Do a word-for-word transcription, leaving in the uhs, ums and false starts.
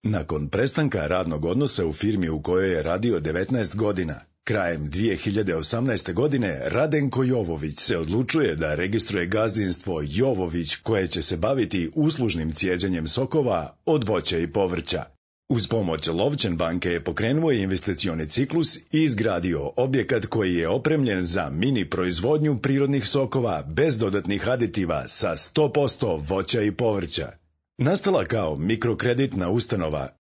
Nakon prestanka radnog odnosa u firmi u kojoj je radio devetnaest godina, krajem dvije hiljade osamnaeste. godine Radenko Jovović se odlučuje da registruje gazdinstvo Jovović koje će se baviti uslužnim cijeđenjem sokova od voća i povrća. Uz pomoć Lovćen banke je pokrenuo investicioni ciklus i izgradio objekat koji je opremljen za mini proizvodnju prirodnih sokova bez dodatnih aditiva sa sto posto voća i povrća. Nastala kao mikrokreditna ustanova,